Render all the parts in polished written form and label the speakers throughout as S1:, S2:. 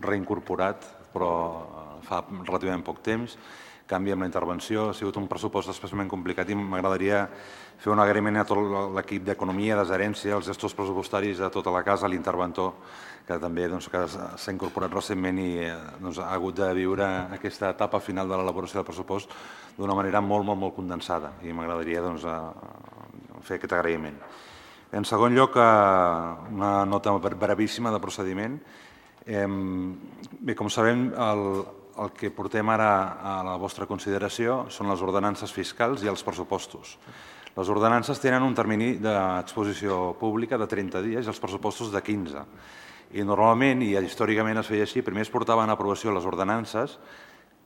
S1: reincorporat, però fa relativament poc temps. Canvi amb la intervenció, ha sigut un pressupost especialment complicat i m'agradaria fer un agraïment a tot l'equip d'Economia, de Gerència, als gestors pressupostaris, a tota la casa, a l'interventor, que també s'ha incorporat recentment i ha hagut de viure aquesta etapa final de l'elaboració del pressupost d'una manera molt condensada i m'agradaria fer aquest agraïment. En segon lloc, una nota brevíssima de procediment. Bé, com sabem, el que portem ara a la vostra consideració són les ordenances fiscals i els pressupostos. Les ordenances tenen un termini d'exposició pública de 30 dies i els pressupostos de 15. I normalment, i històricament es feia així, primer es portaven a aprovació les ordenances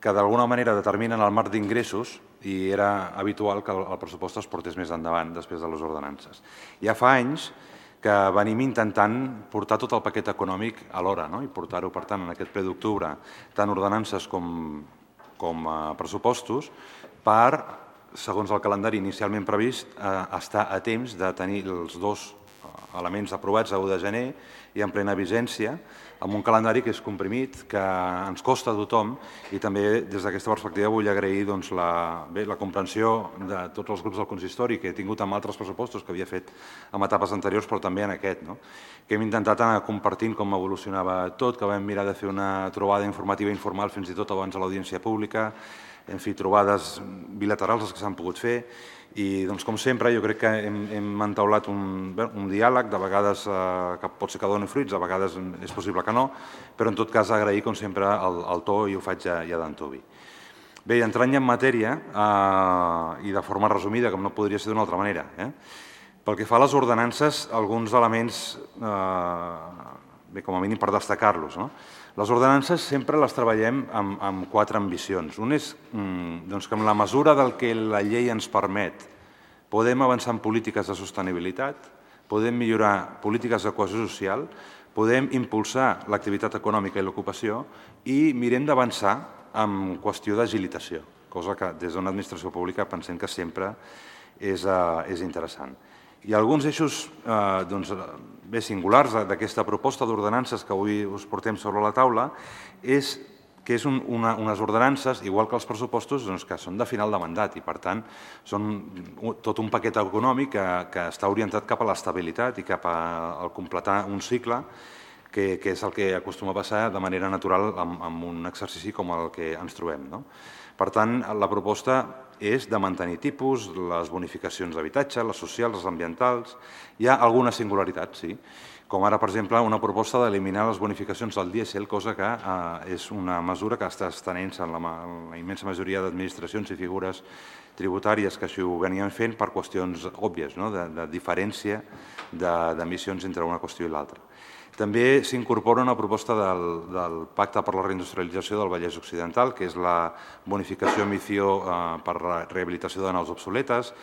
S1: que d'alguna manera determinen el marc d'ingressos i era habitual que el pressupost es portés més endavant després de les ordenances. Ja fa anys que venim intentant portar tot el paquet econòmic alhora i portar-ho, per tant, en aquest ple d'octubre, tant ordenances com pressupostos, per, segons el calendari inicialment previst, estar a temps de tenir els dos elements aprovats a 1 de gener i en plena vigència, amb un calendari que és comprimit, que ens costa a tothom i també des d'aquesta perspectiva vull agrair la comprensió de tots els grups del consistori que he tingut amb altres pressupostos que havia fet en etapes anteriors però també en aquest, que hem intentat anar compartint com evolucionava tot, que vam mirar de fer una trobada informativa i informal fins i tot abans de l'audiència pública, en fi, trobades bilaterals les que s'han pogut fer i, com sempre, jo crec que hem entaulat un diàleg, de vegades que pot ser que doni fruits, de vegades és possible que no, però en tot cas agrair, com sempre, el to i ho faig ja d'antuvi. Bé, entrant ja en matèria, i de forma resumida, com no podria ser d'una altra manera, pel que fa a les ordenances, alguns elements, bé, com a mínim per destacar-los. Les ordenances sempre les treballem amb 4 ambicions. Un és que en la mesura del que la llei ens permet podem avançar en polítiques de sostenibilitat, podem millorar polítiques de cohesió social, podem impulsar l'activitat econòmica i l'ocupació i mirem d'avançar en qüestió d'agilitació, cosa que des d'una administració pública pensem que sempre és interessant. I alguns eixos singulars d'aquesta proposta d'ordenances que avui us portem sobre la taula és que són unes ordenances, igual que els pressupostos, que són de final de mandat i, per tant, són tot un paquet econòmic que està orientat cap a l'estabilitat i cap a completar un cicle que és el que acostuma a passar de manera natural en un exercici com el que ens trobem. Per tant, la proposta és de mantenir tipus, les bonificacions d'habitatge, les socials, les ambientals. Hi ha algunes singularitats, sí, com ara, per exemple, una proposta d'eliminar les bonificacions del dièsel, cosa que és una mesura que està estenent-se en la immensa majoria d'administracions i figures tributàries que així ho venien fent per qüestions òbvies, de diferència d'emissions entre una qüestió i l'altra. També s'incorpora una proposta del Pacte per la Reindustrialització del Vallès Occidental, que és la bonificació emissió per rehabilitació de naus obsoletes,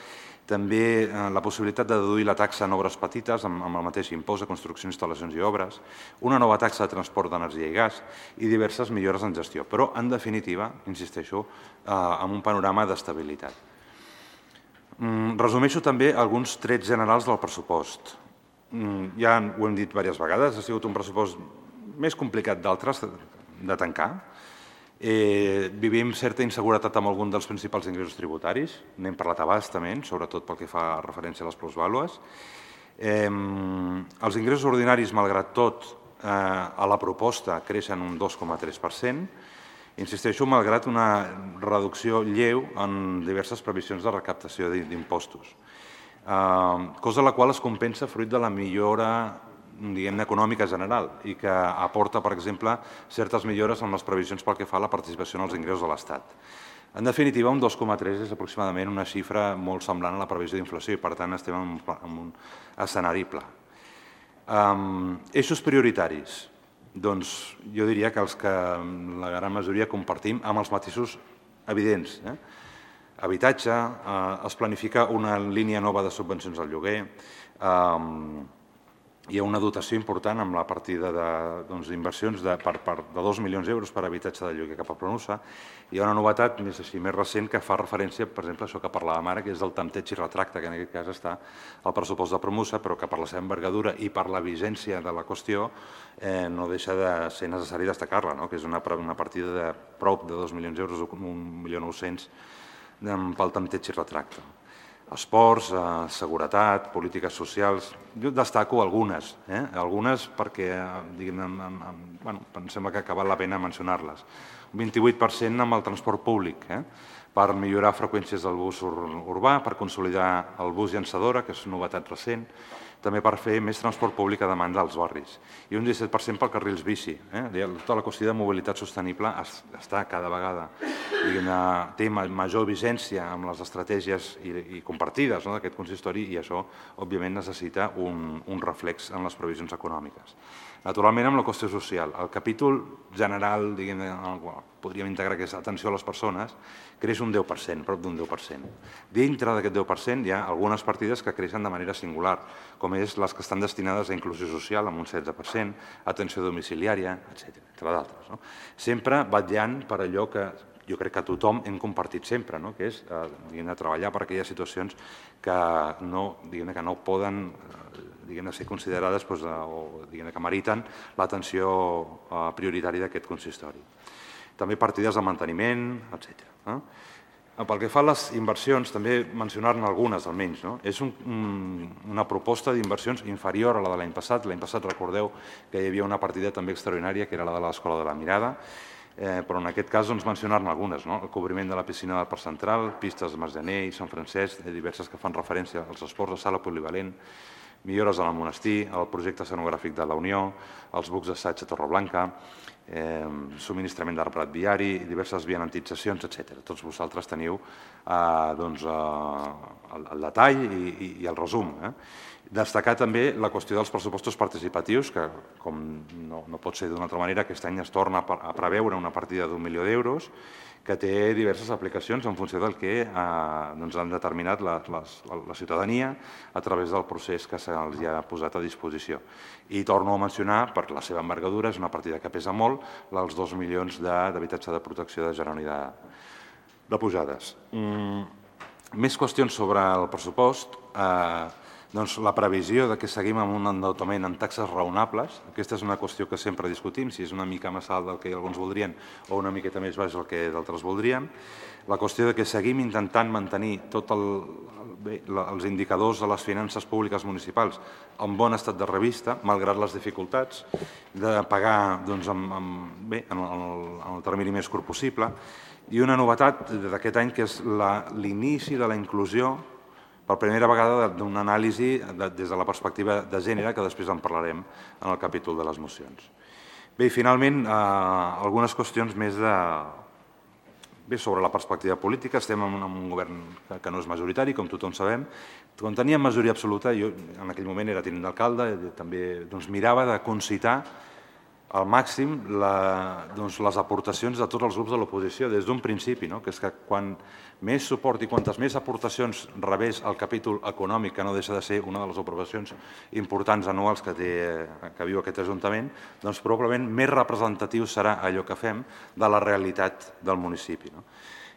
S1: també la possibilitat de deduir la taxa en obres petites amb el mateix impost de construcció, instal·lacions i obres, una nova taxa de transport d'energia i gas i diverses millores en gestió, però, en definitiva, insisteixo, amb un panorama d'estabilitat. Resumeixo també alguns trets generals del pressupost. Ja ho hem dit diverses vegades, ha sigut un pressupost més complicat d'altres de tancar. Vivim certa inseguretat amb algun dels principals ingressos tributaris, n'hem parlat a bastament, sobretot pel que fa referència a les plusvàlues. Els ingressos ordinaris, malgrat tot, a la proposta creixen un 2,3%, insisteixo, malgrat una reducció lleu en diverses previsions de recaptació d'impostos. Cosa la qual es compensa fruit de la millora econòmica general i que aporta, per exemple, certes millores en les previsions pel que fa a la participació en els ingressos de l'Estat. En definitiva, un 2,3 és aproximadament una xifra molt semblant a la previsió d'inflació i, per tant, estem en un escenari pla. Eixos prioritaris. Doncs jo diria que els que la gran majoria compartim amb els matisos evidents. Habitatge, es planifica una línia nova de subvencions al lloguer, hi ha una dotació important amb la partida d'inversions de 2 milions d'euros per habitatge de lloguer cap a Pronusa. Hi ha una novetat més recent que fa referència, per exemple, a això que parlàvem ara, que és el tanteig i retracte, que en aquest cas està al pressupost de Promusa, però que per la seva envergadura i per la vigència de la qüestió no deixa de ser necessari destacar-la, que és una partida de prop de 2 milions d'euros, 1.900.000 pel tanteig i retracte. Esports, seguretat, polítiques socials. Jo destaco algunes perquè em sembla que val la pena mencionar-les. Un 28% amb el transport públic, per millorar freqüències del bus urbà, per consolidar el bus llançadora, que és una novetat recent, també per fer més transport públic a demanda als barris. I un 17% per carrils bici. Tota la qüestió de mobilitat sostenible està cada vegada, té major vigència amb les estratègies i compartides d'aquest consistori i això, òbviament, necessita un reflex en les previsions econòmiques. Naturalment, amb la qüestió social. El capítol general, podríem integrar que és atenció a les persones, creix un 10%, prop d'un 10%. Dintre d'aquest 10% hi ha algunes partides que creixen de manera singular, com és les que estan destinades a inclusió social, amb un 16%, atenció domiciliària, etc., entre d'altres. Sempre vetllant per allò que jo crec que tothom hem compartit sempre, que és treballar per aquelles situacions que no poden ser considerades o que meriten l'atenció prioritària d'aquest consistori. També partides de manteniment, etc. Pel que fa a les inversions, també mencionar-ne algunes almenys. És una proposta d'inversions inferior a la de l'any passat. L'any passat recordeu que hi havia una partida també extraordinària, que era la de l'Escola de la Mirada, però en aquest cas mencionar-ne algunes. El cobriment de la piscina del Parc Central, pistes de Margener i Sant Francesc, diverses que fan referència als esports de sala polivalent, millores al monestir, el projecte escenogràfic de la Unió, els bucs d'assaig a Torreblanca, subministrament d'arbrat viari, diverses vianantitzacions, etc. Tots vosaltres teniu el detall i el resum. Destacar també la qüestió dels pressupostos participatius, que, com no pot ser d'una altra manera, aquest any es torna a preveure una partida d'1 milió d'euros, que té diverses aplicacions en funció del que han determinat la ciutadania a través del procés que se'ls ha posat a disposició. I torno a mencionar, per la seva envergadura, és una partida que pesa molt, els 2 milions d'habitatge de protecció de Geroni de Pujades. Més qüestions sobre el pressupost. La previsió que seguim amb un endeutament en taxes raonables, aquesta és una qüestió que sempre discutim, si és una mica més alt del que alguns voldrien o una miqueta més baix del que d'altres voldrien. La qüestió que seguim intentant mantenir tots els indicadors de les finances públiques municipals en bon estat de revista, malgrat les dificultats de pagar en el termini més curt possible. I una novetat d'aquest any que és l'inici de la inclusió per primera vegada d'una anàlisi des de la perspectiva de gènere, que després en parlarem en el capítol de les mocions. Bé, i finalment, algunes qüestions més sobre la perspectiva política. Estem en un govern que no és majoritari, com tothom sabem. Quan teníem majoria absoluta, jo en aquell moment era tinent d'alcalde, també mirava de concitar al màxim les aportacions de tots els grups de l'oposició des d'un principi, que és que quan més suport i quantes més aportacions rebés el capítol econòmic, que no deixa de ser una de les aprovacions importants anuals que viu aquest Ajuntament, doncs probablement més representatiu serà allò que fem de la realitat del municipi.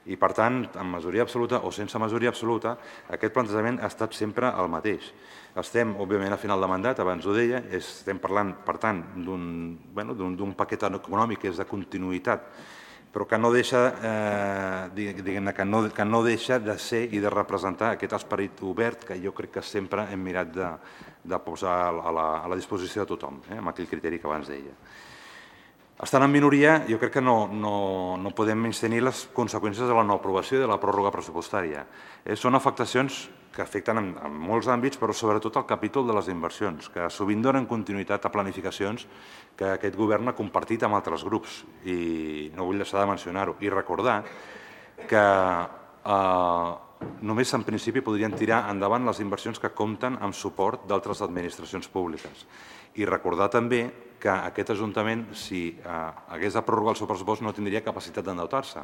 S1: I, per tant, amb majoria absoluta o sense majoria absoluta, aquest plantejament ha estat sempre el mateix. Estem, òbviament, a final de mandat, abans ho deia, estem parlant, per tant, d'un paquet econòmic que és de continuïtat, però que no deixa de ser i de representar aquest esperit obert que jo crec que sempre hem mirat de posar a la disposició de tothom, amb aquell criteri que abans deia. Estant en minoria, jo crec que no podem menystenir les conseqüències de la no aprovació i de la pròrroga pressupostària. Són afectacions que afecten en molts àmbits, però sobretot el capítol de les inversions, que sovint donen continuïtat a planificacions que aquest govern ha compartit amb altres grups, i no vull deixar de mencionar-ho, i recordar que només en principi podrien tirar endavant les inversions que compten amb suport d'altres administracions públiques. I recordar també que aquest Ajuntament, si hagués de prorrogar el seu pressupost, no tindria capacitat d'endeutar-se,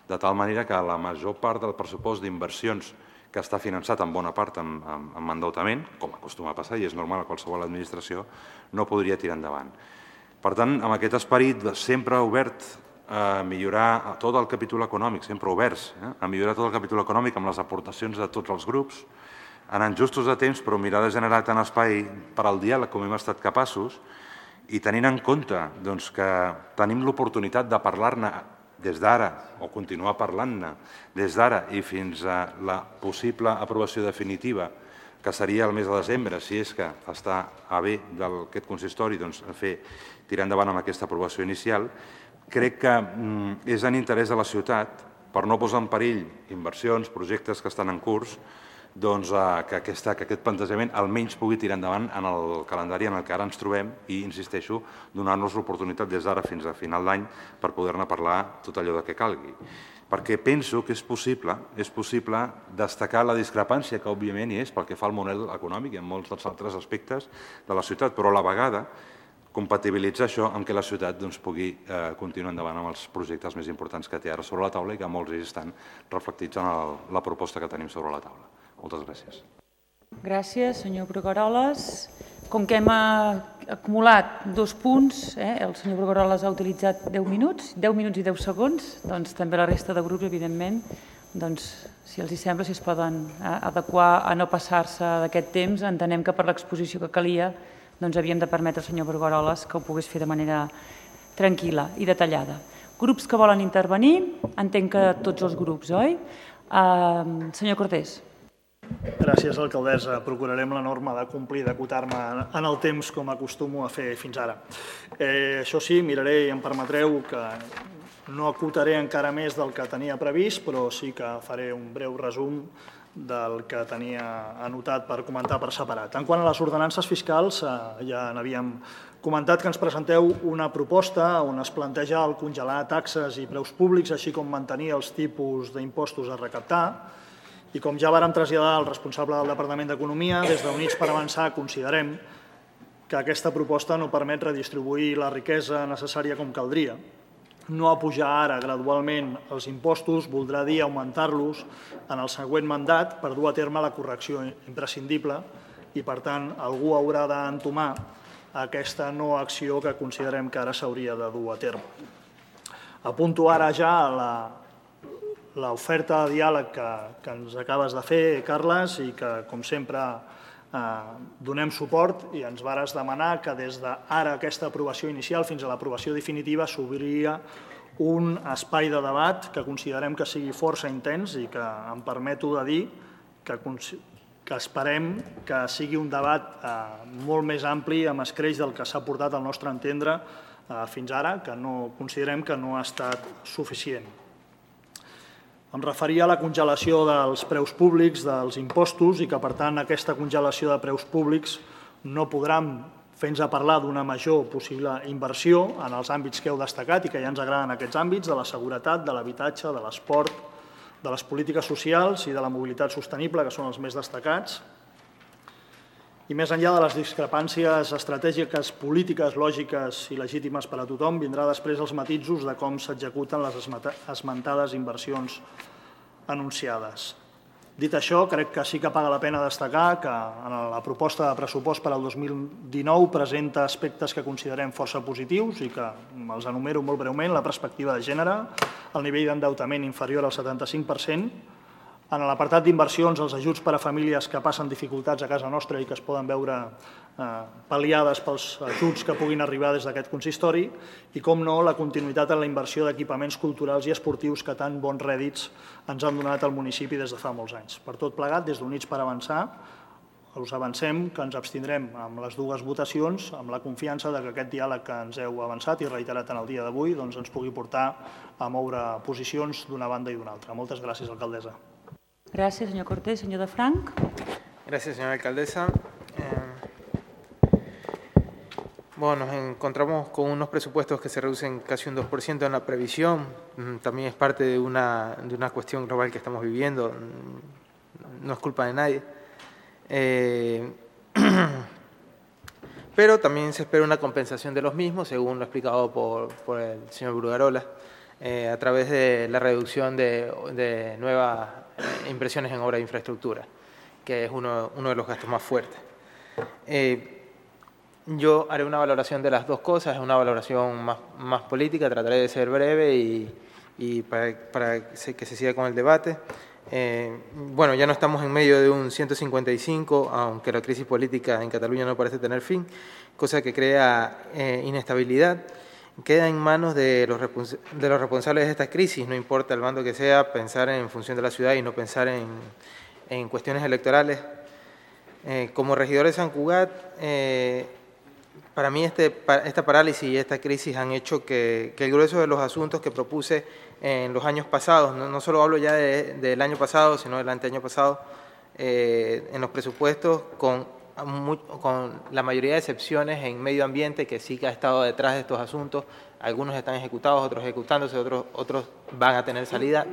S1: de tal manera que la major part del pressupost d'inversions que està finançat en bona part amb endeutament, com acostuma a passar i és normal a qualsevol administració, no podria tirar endavant. Per tant, amb aquest esperit sempre obert a millorar tot el capítol econòmic, sempre oberts a millorar tot el capítol econòmic amb les aportacions de tots els grups, anant justos de temps, però mirar de generar tant espai per al diàleg com hem estat capaços i tenint en compte que tenim l'oportunitat de parlar-ne des d'ara o continuar parlant-ne des d'ara i fins a la possible aprovació definitiva, que seria el mes de desembre, si és que està a bé d'aquest consistori tirar endavant amb aquesta aprovació inicial, crec que és en interès de la ciutat, per no posar en perill inversions, projectes que estan en curs, que aquest plantejament almenys pugui tirar endavant en el calendari en el que ara ens trobem i, insisteixo, donar-nos l'oportunitat des d'ara fins a final d'any per poder-ne parlar tot allò que calgui. Perquè penso que és possible destacar la discrepància que òbviament hi és pel que fa al model econòmic i en molts dels altres aspectes de la ciutat, però a la vegada compatibilitzar això amb que la ciutat pugui continuar endavant amb els projectes més importants que té ara sobre la taula i que molts d'ells estan reflectits en la proposta que tenim sobre la taula. Moltes gràcies.
S2: Gràcies, senyor Brugueroles. Com que hem acumulat 2 punts, el senyor Brugueroles ha utilitzat 10 minuts i 10 segons, doncs també la resta de grups, evidentment, si els sembla, si es poden adequar a no passar-se d'aquest temps, entenem que per l'exposició que calia havíem de permetre al senyor Brugueroles que ho pogués fer de manera tranquil·la i detallada. Grups que volen intervenir, entenc que tots els grups, oi? Senyor Cortés.
S3: Gràcies, alcaldessa. Procurarem la norma de complir, d'acotar-me en el temps com acostumo a fer fins ara. Això sí, miraré i em permetreu que no acotaré encara més del que tenia previst, però sí que faré un breu resum del que tenia anotat per comentar per separat. En quant a les ordenances fiscals, ja n'havíem comentat que ens presenteu una proposta on es planteja el congelar taxes i preus públics, així com mantenir els tipus d'impostos a recaptar. I com ja vàrem traslladar al responsable del Departament d'Economia, des d'Units per Avançar considerem que aquesta proposta no permet redistribuir la riquesa necessària com caldria. No apujar ara gradualment els impostos voldrà dir augmentar-los en el següent mandat per dur a terme la correcció imprescindible i, per tant, algú haurà d'entomar aquesta no acció que considerem que ara s'hauria de dur a terme. Apunto ara ja l'oferta de diàleg que ens acabes de fer, Carles, i que, com sempre, donem suport i ens vares demanar que des d'ara aquesta aprovació inicial fins a l'aprovació definitiva s'obriria un espai de debat que considerem que sigui força intens i que em permeto de dir que esperem que sigui un debat molt més ampli amb escreix del que s'ha portat al nostre entendre fins ara, que considerem que no ha estat suficient. Em referia a la congelació dels preus públics, dels impostos, i que, per tant, aquesta congelació de preus públics no podran fer-nos parlar d'una major possible inversió en els àmbits que heu destacat i que ja ens agraden aquests àmbits, de la seguretat, de l'habitatge, de l'esport, de les polítiques socials i de la mobilitat sostenible, que són els més destacats. I més enllà de les discrepàncies estratègiques, polítiques, lògiques i legítimes per a tothom, vindrà després els matisos de com s'executen les esmentades inversions anunciades. Dit això, crec que sí que paga la pena destacar que la proposta de pressupost per al 2019 presenta aspectes que considerem força positius i que els enumero molt breument: la perspectiva de gènere, el nivell d'endeutament inferior al 75%, en l'apartat d'inversions, els ajuts per a famílies que passen dificultats a casa nostra i que es poden veure pal·liades pels ajuts que puguin arribar des d'aquest consistori i, com no, la continuïtat en la inversió d'equipaments culturals i esportius que tan bons rèdits ens han donat al municipi des de fa molts anys. Per tot plegat, des d'Units per Avançar, us avancem que ens abstindrem amb les dues votacions amb la confiança que aquest diàleg que ens heu avançat i reiterat en el dia d'avui ens pugui portar a moure posicions d'una banda i d'una altra. Moltes gràcies, alcaldessa.
S2: Gracias, señor Cortés. Señor de Frank.
S4: Gracias, señora alcaldesa. Bueno, nos encontramos con unos presupuestos que se reducen casi un 2% en la previsión. También es parte de una cuestión global que estamos viviendo. No es culpa de nadie. Pero también se espera una compensación de los mismos, según lo explicado por el señor Brugueroles, a través de la reducción de nuevas inversiones en obra de infraestructura, que es uno de los gastos más fuertes. Yo haré una valoración de las dos cosas, es una valoración más política, trataré de ser breve y para que se siga con el debate. Bueno, ya no estamos en medio de un 155, aunque la crisis política en Cataluña no parece tener fin, cosa que crea inestabilidad. Queda en manos de los responsables de esta crisis, no importa el bando que sea, pensar en función de la ciudad y no pensar en cuestiones electorales. Como regidor de Sant Cugat, para mí esta parálisis y esta crisis han hecho que el grueso de los asuntos que propuse en los años pasados, no solo hablo ya del año pasado, sino del anteaño pasado, en los presupuestos, con la mayoría de excepciones en medio ambiente, que sí que ha estado detrás de estos asuntos. Algunos están ejecutados, otros ejecutándose, otros van a tener salida,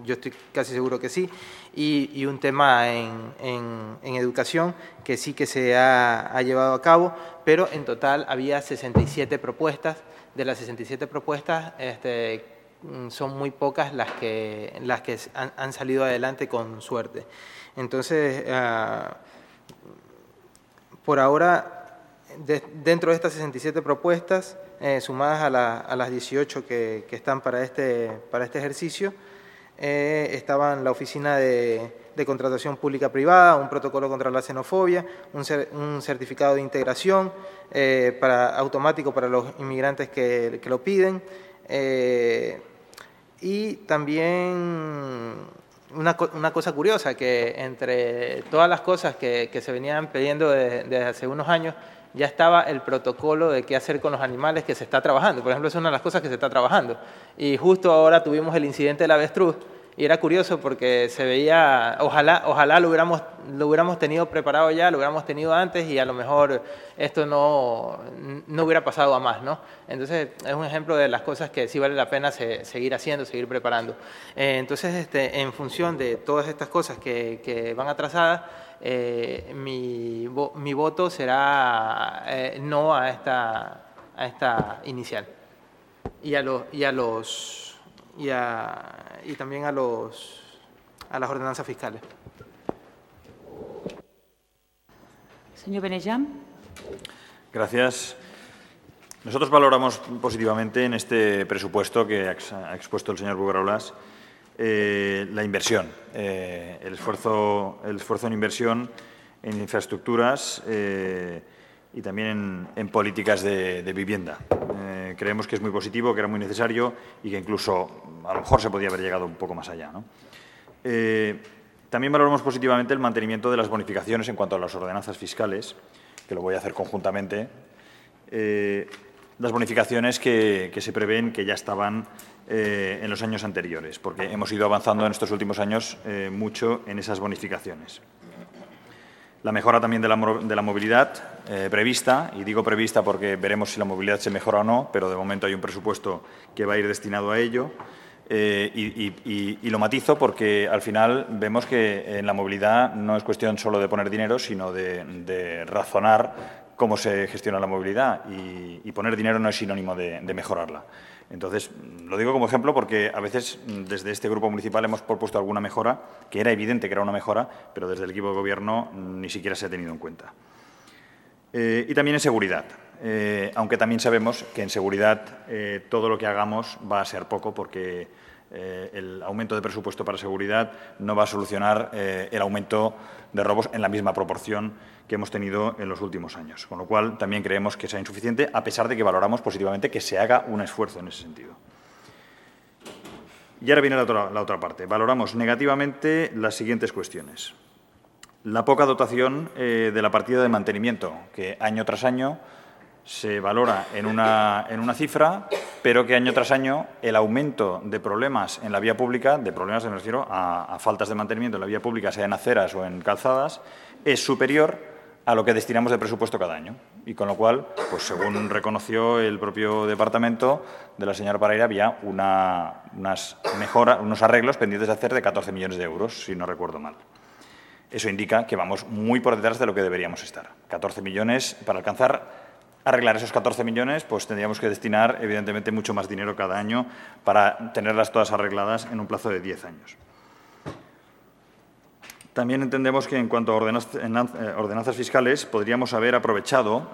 S4: yo estoy casi seguro que sí, y un tema en educación que sí que se ha llevado a cabo, pero en total había 67 propuestas. De las 67 propuestas, son muy pocas las que han salido adelante con suerte. Entonces, por ahora, dentro de estas 67 propuestas, sumadas a las 18 que están para este ejercicio, estaban la Oficina de Contratación Pública-Privada, un protocolo contra la xenofobia, un certificado de integración automático para los inmigrantes que lo piden, y también una cosa curiosa, que entre todas las cosas que se venían pidiendo desde hace unos años, ya estaba el protocolo de qué hacer con los animales que se está trabajando. Por ejemplo, es una de las cosas que se está trabajando. Y justo ahora tuvimos el incidente del avestruz, y era curioso porque se veía, ojalá lo hubiéramos tenido preparado ya, lo hubiéramos tenido antes, y a lo mejor esto no hubiera pasado a más, ¿no? Entonces, es un ejemplo de las cosas que sí vale la pena seguir haciendo, seguir preparando. Entonces, en función de todas estas cosas que van atrasadas, mi voto será no a esta inicial. Y también a las ordenanzas fiscales.
S2: Señor Benejam.
S5: Gracias. Nosotros valoramos positivamente en este presupuesto que ha expuesto el señor Bruguerolas la inversión, el esfuerzo en inversión en infraestructuras y también en políticas de vivienda. Creemos que es muy positivo, que era muy necesario y que incluso a lo mejor se podía haber llegado un poco más allá, ¿no? También valoramos positivamente el mantenimiento de las bonificaciones en cuanto a las ordenanzas fiscales, que lo voy a hacer conjuntamente. Las bonificaciones que se prevén, que ya estaban en los años anteriores, porque hemos ido avanzando en estos últimos años mucho en esas bonificaciones. La mejora también de la movilidad prevista, y digo prevista porque veremos si la movilidad se mejora o no, pero de momento hay un presupuesto que va a ir destinado a ello. Y lo matizo porque al final vemos que en la movilidad no es cuestión solo de poner dinero, sino de razonar cómo se gestiona la movilidad, y poner dinero no es sinónimo de mejorarla. Entonces, lo digo como ejemplo porque a veces desde este grupo municipal hemos propuesto alguna mejora, que era evidente que era una mejora, pero desde el equipo de gobierno ni siquiera se ha tenido en cuenta. Y también en seguridad, aunque también sabemos que en seguridad todo lo que hagamos va a ser poco, porque el aumento de presupuesto para seguridad no va a solucionar el aumento de robos en la misma proporción que hemos tenido en los últimos años. Con lo cual, también creemos que sea insuficiente, a pesar de que valoramos positivamente que se haga un esfuerzo en ese sentido. Y ahora viene la otra parte. Valoramos negativamente las siguientes cuestiones. La poca dotación de la partida de mantenimiento, que año tras año se valora en una cifra, pero que año tras año el aumento de problemas en la vía pública, de problemas me refiero a faltas de mantenimiento en la vía pública, sea en aceras o en calzadas, es superior a lo que destinamos de presupuesto cada año. Y con lo cual, pues según reconoció el propio departamento de la señora Parera, había unas mejoras, unos arreglos pendientes de hacer de 14 millones de euros, si no recuerdo mal. Eso indica que vamos muy por detrás de lo que deberíamos estar. 14 millones, para arreglar esos 14 millones, pues tendríamos que destinar, evidentemente, mucho más dinero cada año para tenerlas todas arregladas en un plazo de 10 años. También entendemos que en cuanto a ordenanzas fiscales podríamos haber aprovechado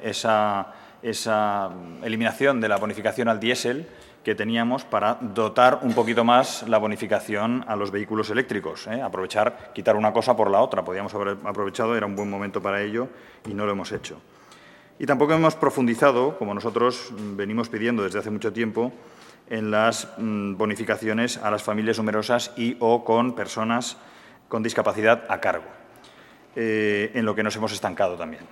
S5: esa eliminación de la bonificación al diésel que teníamos para dotar un poquito más la bonificación a los vehículos eléctricos. Aprovechar, quitar una cosa por la otra. Podríamos haber aprovechado, era un buen momento para ello y no lo hemos hecho. Y tampoco hemos profundizado, como nosotros venimos pidiendo desde hace mucho tiempo, en las bonificaciones a las familias numerosas y o con personas con discapacidad a cargo, en lo que nos hemos estancado también.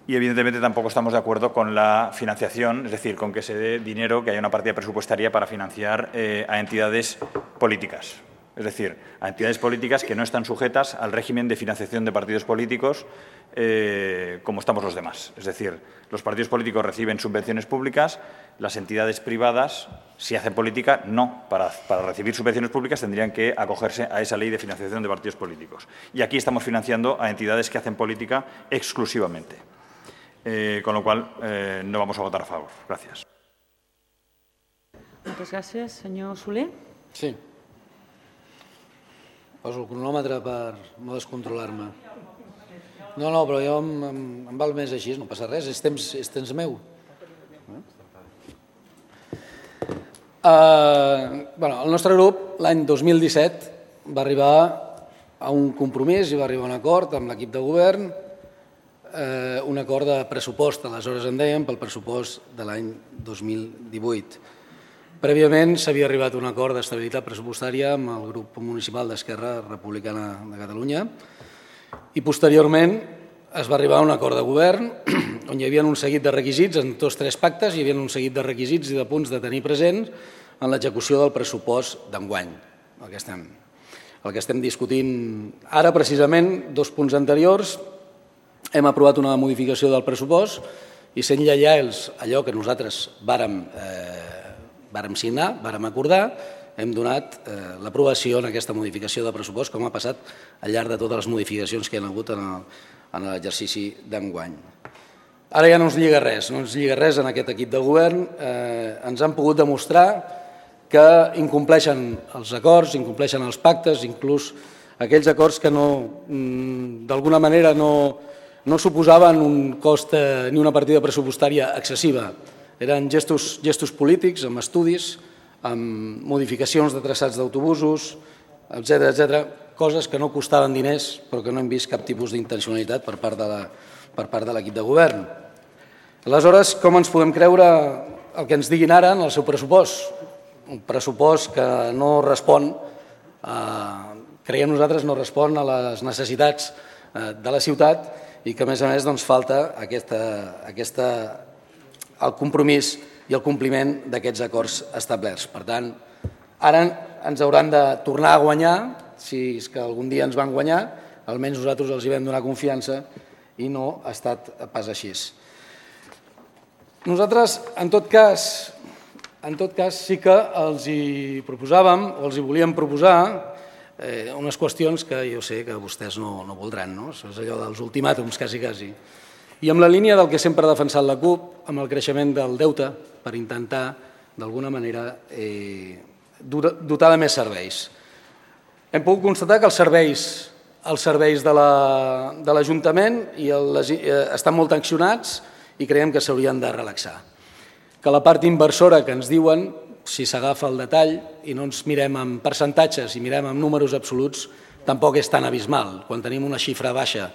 S5: Y, evidentemente, tampoco estamos de acuerdo con la financiación, es decir, con que se dé dinero, que haya una partida presupuestaria para financiar a entidades políticas. Es decir, a entidades políticas que no están sujetas al régimen de financiación de partidos políticos como estamos los demás. Es decir, los partidos políticos reciben subvenciones públicas, las entidades privadas, si hacen política, no. Para recibir subvenciones públicas tendrían que acogerse a esa ley de financiación de partidos políticos. Y aquí estamos financiando a entidades que hacen política exclusivamente. Con lo cual, no vamos a votar a favor. Gracias.
S2: Moltes gràcies. Senyor Soler.
S6: Sí. Poso el cronòmetre per no descontrolar-me. No, però jo em val més així, no passa res, és temps meu. El nostre grup, l'any 2017, va arribar a un compromís i va arribar a un acord amb l'equip de govern, un acord de pressupost, aleshores en dèiem, pel pressupost de l'any 2018. Prèviament s'havia arribat a un acord d'estabilitat pressupostària amb el grup municipal d'Esquerra Republicana de Catalunya i posteriorment es va arribar a un acord de govern on hi havia un seguit de requisits, en tots tres pactes hi havia un seguit de requisits i de punts de tenir presents en l'execució del pressupost d'enguany, el que estem discutint ara. Precisament, 2 punts anteriors, hem aprovat una modificació del pressupost i sent lleials allò que nosaltres vàrem signar, vàrem acordar, hem donat l'aprovació en aquesta modificació de pressupost, com ha passat al llarg de totes les modificacions que hi ha hagut en l'exercici d'enguany. Ara ja no ens lliga res, en aquest equip de govern. Ens han pogut demostrar que incompleixen els acords, incompleixen els pactes, inclús aquells acords que d'alguna manera no suposaven un cost ni una partida pressupostària excessiva. Eren gestos polítics, amb estudis, amb modificacions de traçats d'autobusos, etc., coses que no costaven diners però que no hem vist cap tipus d'intencionalitat per part de l'equip de govern. Aleshores, com ens podem creure el que ens diguin ara en el seu pressupost? Un pressupost que no respon, creiem nosaltres, no respon a les necessitats de la ciutat i que, a més falta el compromís i el compliment d'aquests acords establerts. Per tant, ara ens hauran de tornar a guanyar, si és que algun dia ens van guanyar, almenys nosaltres els hi vam donar confiança i no ha estat pas així. Nosaltres, en tot cas, sí que els hi proposàvem o els hi volíem proposar unes qüestions que jo sé que vostès no voldran, no? Això és allò dels ultimàtums, quasi. I amb la línia del que sempre ha defensat la CUP, amb el creixement del deute, per intentar, d'alguna manera, dotar de més serveis. Hem pogut constatar que els serveis de l'Ajuntament estan molt tensionats i creiem que s'haurien de relaxar. Que la part inversora que ens diuen, si s'agafa el detall i no ens mirem en percentatges i mirem en números absoluts, tampoc és tan abismal. Quan tenim una xifra baixa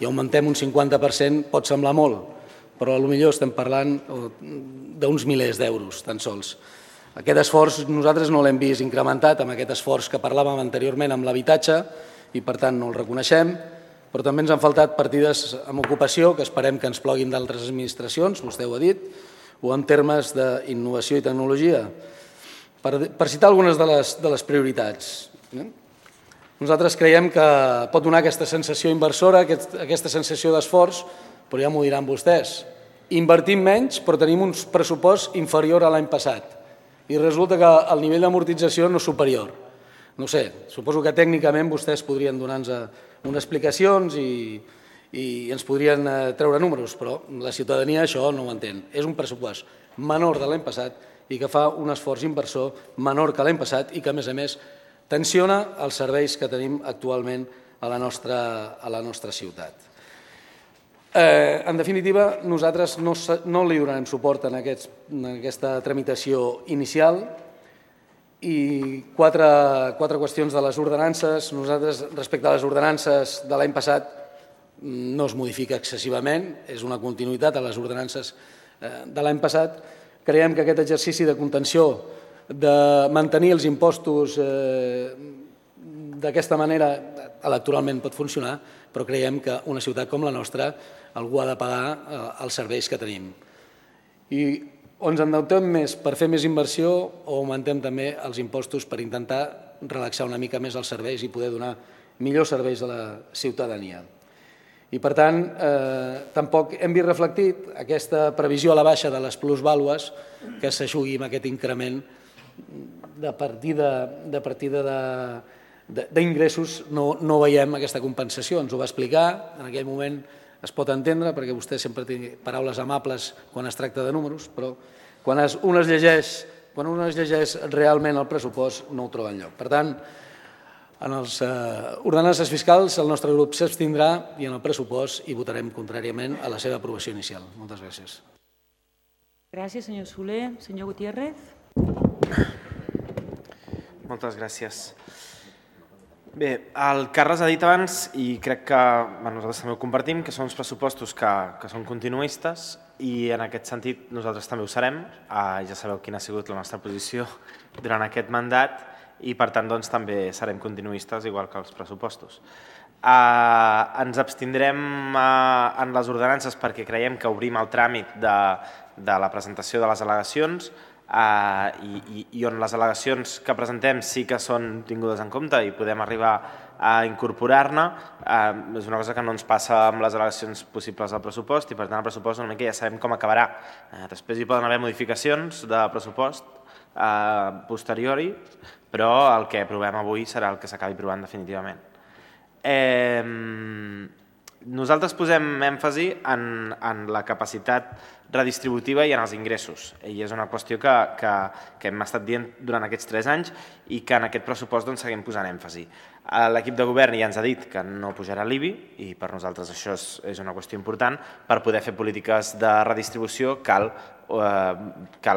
S6: i augmentem un 50% pot semblar molt, però potser estem parlant d'uns milers d'euros, tan sols. Aquest esforç nosaltres no l'hem vist incrementat amb aquest esforç que parlàvem anteriorment amb l'habitatge i, per tant, no el reconeixem, però també ens han faltat partides en ocupació que esperem que ens ploguin d'altres administracions, vostè ho ha dit, o en termes d'innovació i tecnologia. Per citar algunes de les prioritats, nosaltres creiem que pot donar aquesta sensació inversora, aquesta sensació d'esforç, però ja m'ho diran vostès. Invertim menys, però tenim un pressupost inferior a l'any passat. I resulta que el nivell d'amortització no és superior. No sé, suposo que tècnicament vostès podrien donar-nos unes explicacions i ens podrien treure números, però la ciutadania això no ho entén. És un pressupost menor de l'any passat i que fa un esforç inversor menor que l'any passat i que, a més, tensiona els serveis que tenim actualment a la nostra ciutat. En definitiva, nosaltres no li donarem suport en aquesta tramitació inicial i quatre qüestions de les ordenances. Nosaltres, respecte a les ordenances de l'any passat, no es modifica excessivament, és una continuïtat a les ordenances de l'any passat. Creiem que aquest exercici de contenció, de mantenir els impostos d'aquesta manera, electoralment pot funcionar, però creiem que una ciutat com la nostra algú ha de pagar els serveis que tenim. I o ens endeutem més per fer més inversió o augmentem també els impostos per intentar relaxar una mica més els serveis i poder donar millors serveis a la ciutadania. I, per tant, tampoc hem vist reflectit aquesta previsió a la baixa de les plusvàlues que s'aixugui amb aquest increment de partida d'ingressos. No veiem aquesta compensació, ens ho va explicar, en aquell moment es pot entendre perquè vostè sempre té paraules amables quan es tracta de números, però quan un es llegeix realment el pressupost no ho troba enlloc. Per tant, en les ordenances fiscals el nostre grup s'abstindrà i en el pressupost hi votarem contràriament a la seva aprovació inicial. Moltes gràcies.
S2: Gràcies, senyor Soler. Senyor Gutiérrez.
S7: Moltes gràcies. Bé, el Carles ha dit abans, i crec que nosaltres també ho compartim, que són uns pressupostos que són continuistes i en aquest sentit nosaltres també ho serem. Ja sabeu quina ha sigut la nostra posició durant aquest mandat i per tant també serem continuistes igual que els pressupostos. Ens abstindrem en les ordenances perquè creiem que obrim el tràmit de la presentació de les al·legacions i on les al·legacions que presentem sí que són tingudes en compte i podem arribar a incorporar-ne. És una cosa que no ens passa amb les al·legacions possibles al pressupost i per tant el pressupost una mica ja sabem com acabarà. Després hi poden haver modificacions de pressupost posteriori, però el que aprovem avui serà el que s'acabi aprovant definitivament. Nosaltres posem èmfasi en la capacitat redistributiva i en els ingressos. I és una qüestió que hem estat dient durant aquests 3 anys i que en aquest pressupost seguim posant èmfasi. L'equip de govern ja ens ha dit que no pujarà l'IBI i per nosaltres això és una qüestió important. Per poder fer polítiques de redistribució cal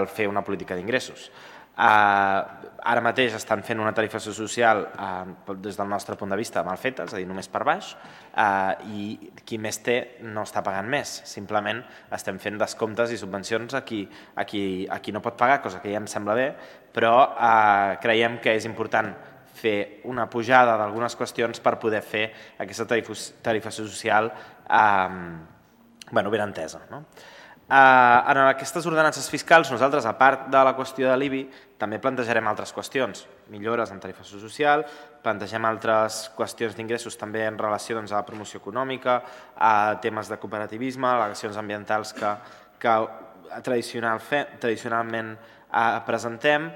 S7: fer una política d'ingressos. Ara mateix estan fent una tarifació social des del nostre punt de vista mal feta, és a dir, només per baix, i qui més té no està pagant més. Simplement estem fent descomptes i subvencions a qui no pot pagar, cosa que ja em sembla bé, però creiem que és important fer una pujada d'algunes qüestions per poder fer aquesta tarifació social ben entesa. En aquestes ordenances fiscals, nosaltres, a part de la qüestió de l'IBI, també plantejarem altres qüestions, millores en tarifació social, plantegem altres qüestions d'ingressos també en relació a la promoció econòmica, a temes de cooperativisme, al·legacions ambientals que tradicionalment presentem,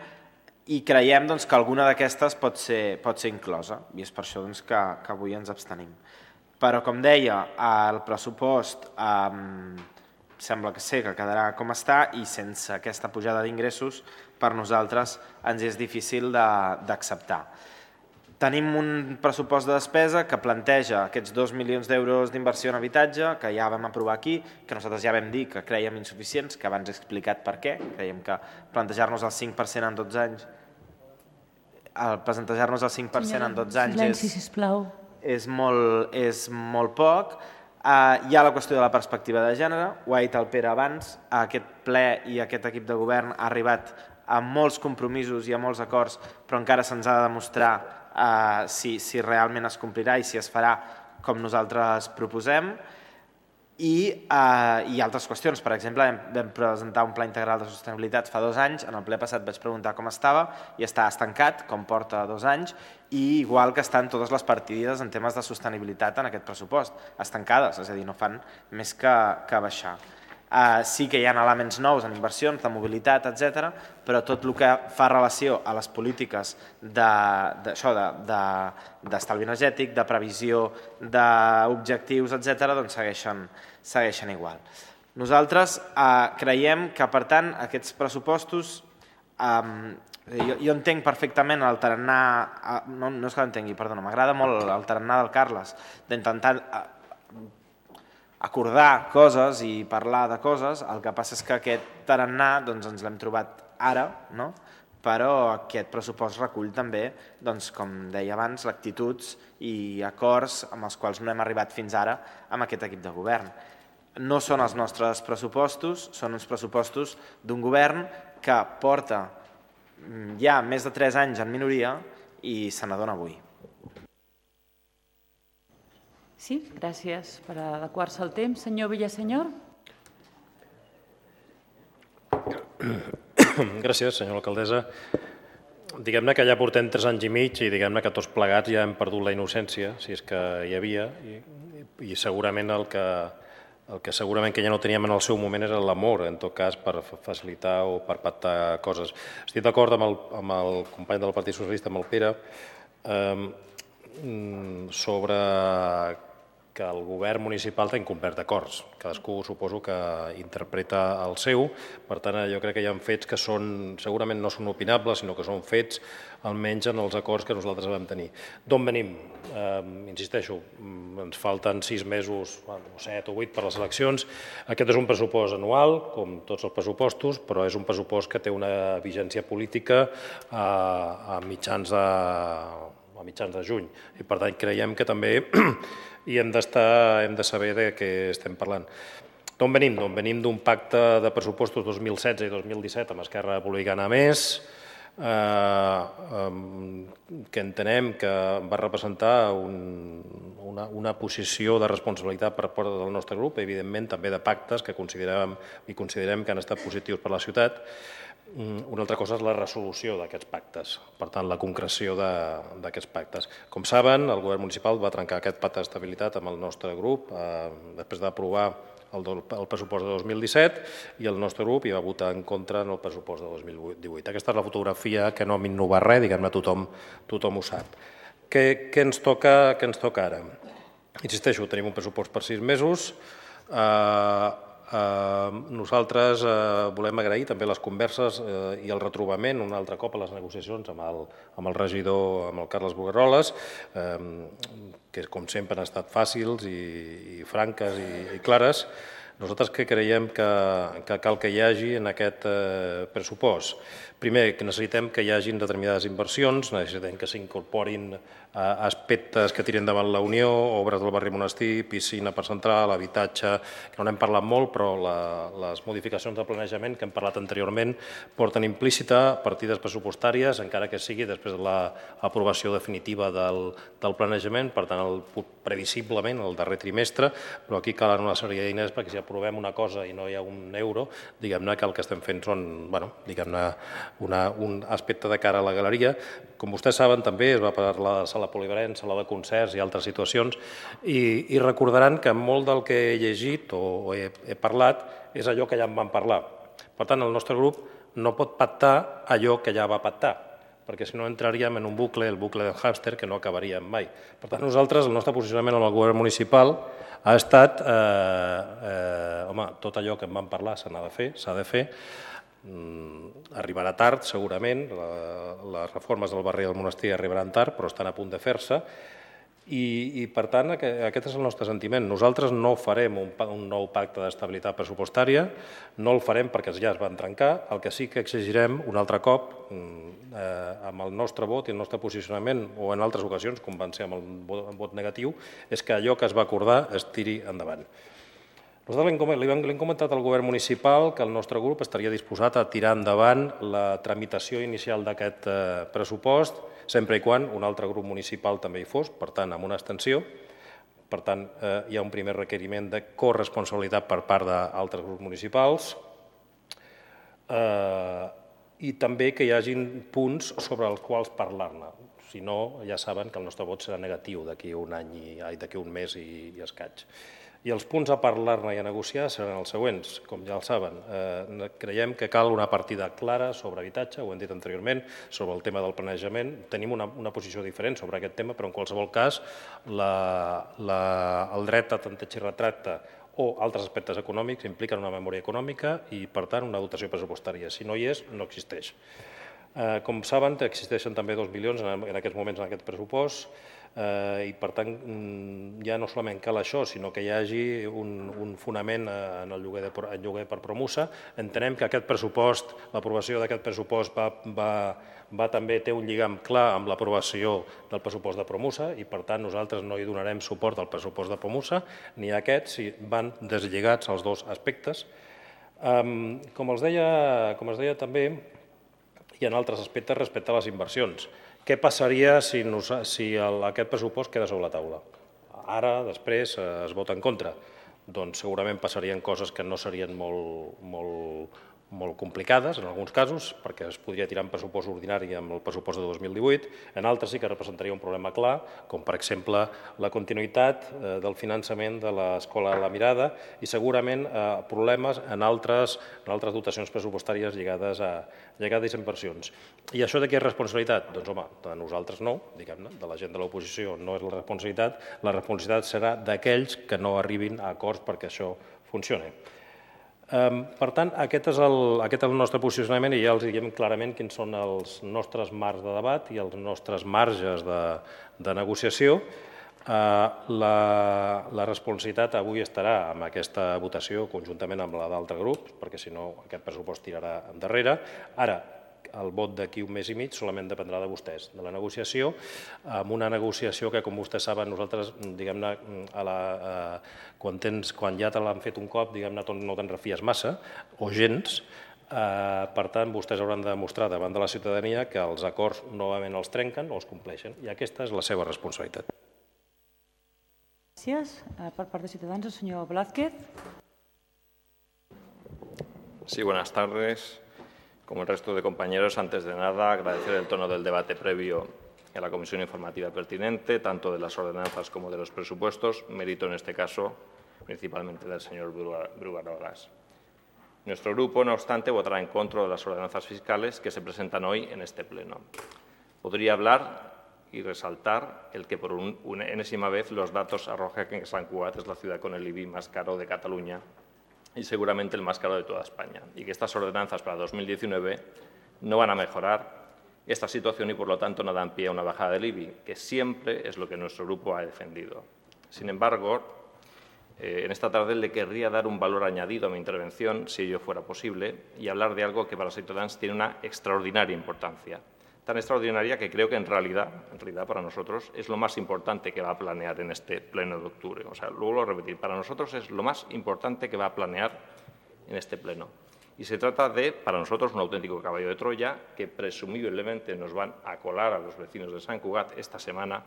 S7: i creiem que alguna d'aquestes pot ser inclosa, i és per això que avui ens abstenim. Però, com deia, el pressupost sembla que quedarà com està i sense aquesta pujada d'ingressos per nosaltres ens és difícil d'acceptar. Tenim un pressupost de despesa que planteja aquests 2 milions d'euros d'inversió en habitatge que ja vam aprovar aquí, que nosaltres ja vam dir que crèiem insuficients, que abans he explicat per què. Creiem que plantejar-nos el 5% en 12 anys és molt poc. Hi ha la qüestió de la perspectiva de gènere, ho ha dit el Pere abans, aquest ple i aquest equip de govern ha arribat a molts compromisos i a molts acords, però encara se'ns ha de demostrar si realment es complirà i si es farà com nosaltres proposem. I altres qüestions, per exemple, vam presentar un pla integral de sostenibilitat fa 2 anys, en el ple passat vaig preguntar com estava i està estancat, com porta 2 anys, i igual que estan totes les partides en temes de sostenibilitat en aquest pressupost, estancades, és a dir, no fan més que baixar. Sí que hi ha elements nous en inversions, de mobilitat, etc., però tot el que fa relació a les polítiques d'estalvi energètic, de previsió d'objectius, etc., doncs segueixen igual. Nosaltres creiem que, per tant, aquests pressupostos Jo entenc perfectament el tarannà, no és que l'entengui, perdona, m'agrada molt el tarannà del Carles, d'intentar acordar coses i parlar de coses. El que passa és que aquest tarannà ens l'hem trobat ara, però aquest pressupost recull també, com deia abans, actituds i acords amb els quals no hem arribat fins ara amb aquest equip de govern. No són els nostres pressupostos, són uns pressupostos d'un govern que porta ja més de 3 anys en minoria i se n'adona avui.
S2: Sí, gràcies per adequar-se al temps. Senyor Villasenyor.
S8: Gràcies, senyora alcaldessa. Diguem-ne que ja portem 3 anys i mig i diguem-ne que tots plegats ja hem perdut la innocència, si és que hi havia, i segurament el que segurament que ja no teníem en el seu moment era l'amor, en tot cas, per facilitar o per pactar coses. Estic d'acord amb el company del Partit Socialista, amb el Pere, sobre que el govern municipal té incomplert acords. Cadascú suposo que interpreta el seu, per tant jo crec que hi ha fets que segurament no són opinables, sinó que són fets almenys en els acords que nosaltres vam tenir. D'on venim? Insisteixo, ens falten 6 mesos, 7 o 8 per les eleccions. Aquest és un pressupost anual, com tots els pressupostos, però és un pressupost que té una vigència política a mitjans de juny. I per tant creiem que també i hem de saber de què estem parlant. D'on venim? Venim d'un pacte de pressupostos 2016 i 2017 amb Esquerra Republicana Més, que entenem que va representar una posició de responsabilitat per part del nostre grup, evidentment també de pactes que considerem que han estat positius per la ciutat. Una altra cosa és la resolució d'aquests pactes, per tant, la concreció d'aquests pactes. Com saben, el govern municipal va trencar aquest pacte d'estabilitat amb el nostre grup després d'aprovar el pressupost de 2017 i el nostre grup hi va votar en contra en el pressupost de 2018. Aquesta és la fotografia que no m'innovar res, diguem-ne, tothom ho sap. Què ens toca ara? Insisteixo, tenim un pressupost per 6 mesos. Nosaltres volem agrair també les converses i el retrobament un altre cop a les negociacions amb el regidor, amb el Carles Bogaroles, que com sempre han estat fàcils i franques i clares. Nosaltres què creiem que cal que hi hagi en aquest pressupost? Primer, que necessitem que hi hagin determinades inversions, necessitem que s'incorporin aspectes que tiren davant la Unió, obres del barri Monestir, piscina per central, habitatge, que no n'hem parlat molt, però les modificacions de planejament que hem parlat anteriorment porten implícita partides pressupostàries, encara que sigui després de l'aprovació definitiva del planejament, per tant, previsiblement el darrer trimestre, però aquí calen una sèrie d'eines perquè si aprovem una cosa i no hi ha un euro, diguem-ne que el que estem fent són, diguem-ne, un aspecte de cara a la galeria. Com vostès saben, també es va parlar de sala polivalent, sala de concerts i altres situacions, i recordaran que molt del que he llegit o he parlat és allò que ja en vam parlar. Per tant, el nostre grup no pot pactar allò que ja va pactar, perquè si no entraríem en un bucle, el bucle del hàmster, que no acabaríem mai. Per tant, nosaltres, el nostre posicionament amb el govern municipal ha estat, tot allò que en vam parlar s'ha de fer, arribarà tard, segurament, les reformes del barri del Monestir arribaran tard, però estan a punt de fer-se, i per tant aquest és el nostre sentiment. Nosaltres no farem un nou pacte d'estabilitat pressupostària, no el farem perquè ja es van trencar, el que sí que exigirem un altre cop amb el nostre vot i el nostre posicionament, o en altres ocasions, com van ser amb el vot negatiu, és que allò que es va acordar es tiri endavant. Nosaltres li hem comentat al govern municipal que el nostre grup estaria disposat a tirar endavant la tramitació inicial d'aquest pressupost, sempre i quan un altre grup municipal també hi fos, per tant, amb una abstenció. Per tant, hi ha un primer requeriment de corresponsabilitat per part d'altres grups municipals i també que hi hagin punts sobre els quals parlar-ne. Si no, ja saben que el nostre vot serà negatiu d'aquí un mes i escaig. I els punts a parlar-ne i a negociar seran els següents, com ja el saben. Creiem que cal una partida clara sobre habitatge, ho hem dit anteriorment, sobre el tema del planejament. Tenim una posició diferent sobre aquest tema, però en qualsevol cas el dret a tanteig i retracte o altres aspectes econòmics impliquen una memòria econòmica i, per tant, una dotació pressupostària. Si no hi és, no existeix. Com saben, existeixen també 2 milions en aquests moments en aquest pressupost i, per tant, ja no solament cal això, sinó que hi hagi un fonament en el lloguer per Promusa. Entenem que aquest pressupost, l'aprovació d'aquest pressupost també té un lligam clar amb l'aprovació del pressupost de Promusa i, per tant, nosaltres no hi donarem suport al pressupost de Promusa ni a aquest, si van deslligats els dos aspectes. Com els deia també, hi ha altres aspectes respecte a les inversions. Què passaria si aquest pressupost queda sobre la taula? Ara, després, es vota en contra. Doncs segurament passarien coses que no serien molt complicades, en alguns casos, perquè es podria tirar en pressupost ordinari amb el pressupost de 2018. En altres sí que representaria un problema clar, com per exemple la continuïtat del finançament de l'Escola La Mirada i segurament problemes en altres dotacions pressupostàries lligades a inversions. I això de qui és responsabilitat? Doncs, home, de nosaltres no, diguem-ne, de la gent de l'oposició no és la responsabilitat serà d'aquells que no arribin a acords perquè això funcioni. Per tant, aquest és el nostre posicionament i ja els diem clarament quins són els nostres marcs de debat i els nostres marges de negociació. La responsabilitat avui estarà amb aquesta votació conjuntament amb la d'altres grups, perquè si no aquest pressupost tirarà endarrere. Ara, el vot d'aquí un mes i mig solament dependrà de vostès, de la negociació, amb una negociació que, com vostès saben, nosaltres, diguem-ne, quan ja te l'han fet un cop, diguem-ne, no te'n refies massa, o gens. Per tant, vostès hauran de demostrar davant de la ciutadania que els acords novament els trenquen o els compleixen, i aquesta és la seva responsabilitat.
S2: Gràcies. Per part de Ciutadans, el senyor Blázquez.
S9: Sí, buenas tardes. Como el resto de compañeros, antes de nada, agradecer el tono del debate previo a la comisión informativa pertinente, tanto de las ordenanzas como de los presupuestos, mérito en este caso principalmente del señor Brugarolas. Nuestro grupo, no obstante, votará en contra de las ordenanzas fiscales que se presentan hoy en este pleno. Podría hablar y resaltar el que por una enésima vez los datos arrojan que Sant Cugat es la ciudad con el IBI más caro de Cataluña y seguramente el más caro de toda España, y que estas ordenanzas para 2019 no van a mejorar esta situación y, por lo tanto, no dan pie a una bajada del IBI, que siempre es lo que nuestro grupo ha defendido. Sin embargo, en esta tarde le querría dar un valor añadido a mi intervención, si ello fuera posible, y hablar de algo que para los ciudadanos tiene una extraordinaria importancia. Tan extraordinaria que creo que en realidad para nosotros es lo más importante que va a planear en este pleno de octubre. O sea, luego lo repetir, para nosotros es lo más importante que va a planear en este pleno. Y se trata de, para nosotros, un auténtico caballo de Troya que presumiblemente nos van a colar a los vecinos de Sant Cugat esta semana,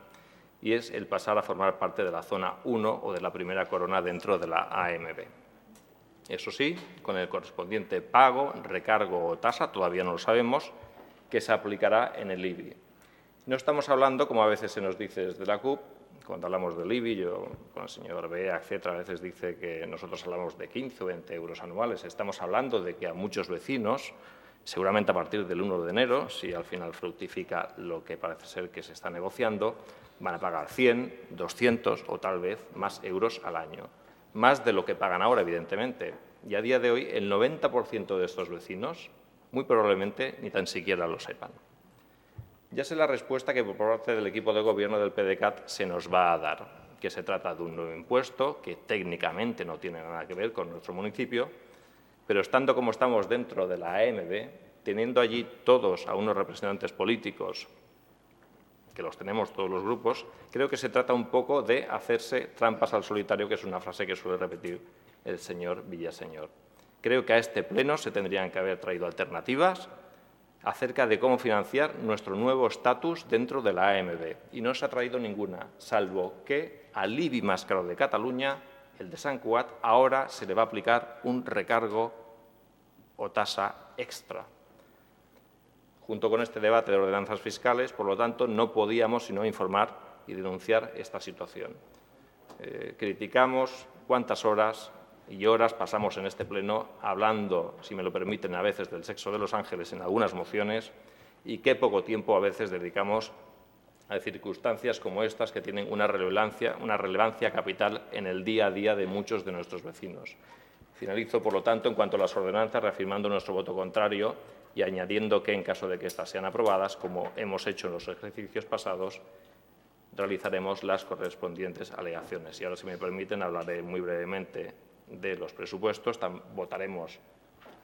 S9: y es el pasar a formar parte de la zona 1 o de la primera corona dentro de la AMB. Eso sí, con el correspondiente pago, recargo o tasa, todavía no lo sabemos, que se aplicará en el IBI. No estamos hablando, como a veces se nos dice desde la CUP, cuando hablamos del IBI, yo con el señor Bea, etcétera, a veces dice que nosotros hablamos de 15 o 20 euros anuales. Estamos hablando de que a muchos vecinos, seguramente a partir del 1 de enero, si al final fructifica lo que parece ser que se está negociando, van a pagar 100, 200 o tal vez más euros al año. Más de lo que pagan ahora, evidentemente. Y a día de hoy, el 90% de estos vecinos muy probablemente ni tan siquiera lo sepan. Ya sé la respuesta que por parte del equipo de gobierno del PDeCAT se nos va a dar, que se trata de un nuevo impuesto que técnicamente no tiene nada que ver con nuestro municipio, pero estando como estamos dentro de la AMB, teniendo allí todos a unos representantes políticos, que los tenemos todos los grupos, creo que se trata un poco de hacerse trampas al solitario, que es una frase que suele repetir el señor Villaseñor. Creo que a este pleno se tendrían que haber traído alternativas acerca de cómo financiar nuestro nuevo estatus dentro de la AMB. Y no se ha traído ninguna, salvo que al IBI más caro de Cataluña, el de Sant Cugat, ahora se le va a aplicar un recargo o tasa extra. Junto con este debate de ordenanzas fiscales, por lo tanto, no podíamos sino informar y denunciar esta situación. Criticamos cuántas horas y horas pasamos en este pleno hablando, si me lo permiten, a veces del sexo de los ángeles en algunas mociones, y qué poco tiempo a veces dedicamos Hay circunstancias como estas que tienen una relevancia capital en el día a día de muchos de nuestros vecinos. Finalizo, por lo tanto, en cuanto a las ordenanzas, reafirmando nuestro voto contrario y añadiendo que, en caso de que éstas sean aprobadas, como hemos hecho en los ejercicios pasados, realizaremos las correspondientes alegaciones. Y ahora, si me permiten, hablaré muy brevemente de los presupuestos. Votaremos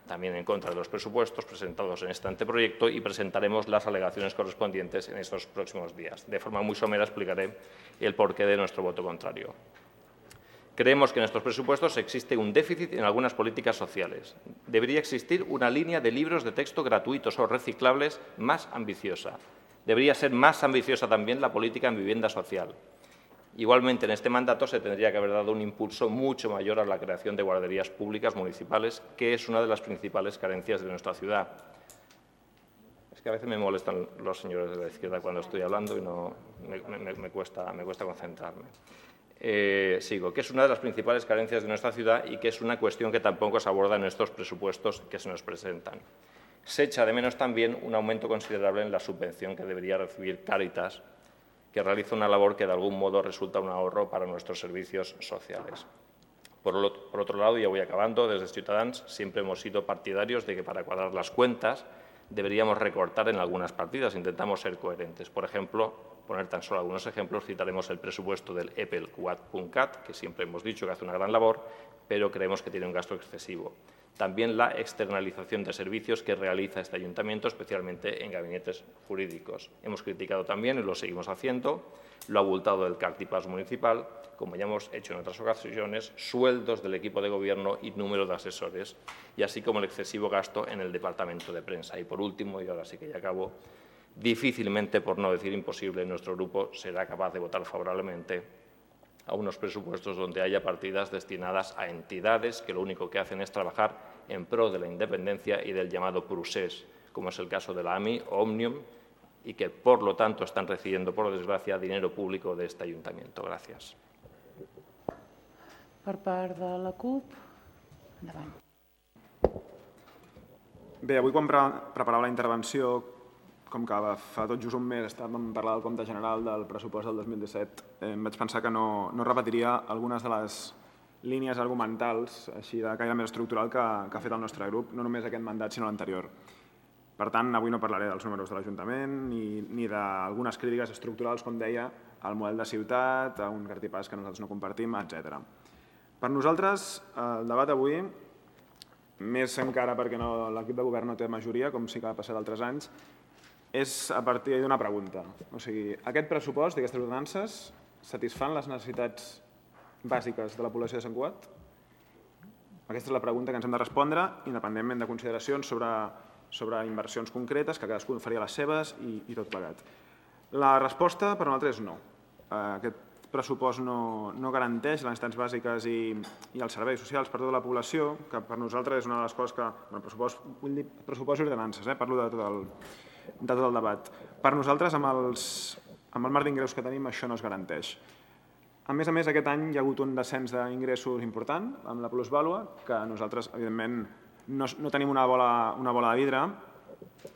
S9: también en contra de los presupuestos presentados en este anteproyecto y presentaremos las alegaciones correspondientes en estos próximos días. De forma muy somera explicaré el porqué de nuestro voto contrario. Creemos que en estos presupuestos existe un déficit en algunas políticas sociales. Debería existir una línea de libros de texto gratuitos o reciclables más ambiciosa. Debería ser más ambiciosa también la política en vivienda social. Igualmente, en este mandato se tendría que haber dado un impulso mucho mayor a la creación de guarderías públicas municipales, que es una de las principales carencias de nuestra ciudad. Es que a veces me molestan los señores de la izquierda cuando estoy hablando y me cuesta concentrarme. Sigo, que es una de las principales carencias de nuestra ciudad y que es una cuestión que tampoco se aborda en estos presupuestos que se nos presentan. Se echa de menos también un aumento considerable en la subvención que debería recibir Cáritas, que realiza una labor que de algún modo resulta un ahorro para nuestros servicios sociales. Por otro lado, ya voy acabando, desde Ciutadans siempre hemos sido partidarios de que para cuadrar las cuentas deberíamos recortar en algunas partidas, intentamos ser coherentes. Por ejemplo, poner tan solo algunos ejemplos, citaremos el presupuesto del EPEL-QUAD.cat, que siempre hemos dicho que hace una gran labor, pero creemos que tiene un gasto excesivo. También la externalización de servicios que realiza este ayuntamiento, especialmente en gabinetes jurídicos. Hemos criticado también, y lo seguimos haciendo, lo abultado del CARTIPAS municipal, como ya hemos hecho en otras ocasiones, sueldos del equipo de gobierno y número de asesores, y así como el excesivo gasto en el departamento de prensa. Y por último, y ahora sí que ya acabo, difícilmente, por no decir imposible, nuestro grupo será capaz de votar favorablemente a unos presupuestos donde haya partidas destinadas a entidades que lo único que hacen es trabajar en pro de la independencia y del llamado procés, como es el caso de la AMI o Òmnium, y que, por lo tanto, están recibiendo, por desgràcia, dinero público de este ayuntamiento. Gràcies.
S2: Per part de la CUP, endavant.
S10: Bé, avui quan preparava la intervenció, com que fa tot just un mes estàvem parlant del compte general del pressupost del 2017, em vaig pensar que no repetiria algunes de les línies argumentals així de caire més estructural que ha fet el nostre grup, no només aquest mandat sinó l'anterior. Per tant, avui no parlaré dels números de l'Ajuntament ni d'algunes crítiques estructurals, com deia, al model de ciutat, a un cartipàs que nosaltres no compartim, etc. Per nosaltres, el debat avui, més encara perquè l'equip de govern no té majoria, com sí que ha passat altres anys, és a partir d'una pregunta. O sigui, aquest pressupost i aquestes ordenances satisfan les necessitats bàsiques de la població de Sant Cugat? Aquesta és la pregunta que ens hem de respondre, independentment de consideracions sobre inversions concretes, que cadascú faria les seves i tot plegat. La resposta per nosaltres és no. Aquest pressupost no garanteix les necessitats bàsiques i els serveis socials per tota la població, que per nosaltres és una de les coses que... Vull dir pressupost i ordenances, parlo de tot el debat. Per nosaltres, amb el marc d'ingressos que tenim, això no es garanteix. A més, aquest any hi ha hagut un descens d'ingressos important amb la plusvàlua, que nosaltres, evidentment, no tenim una bola de vidre,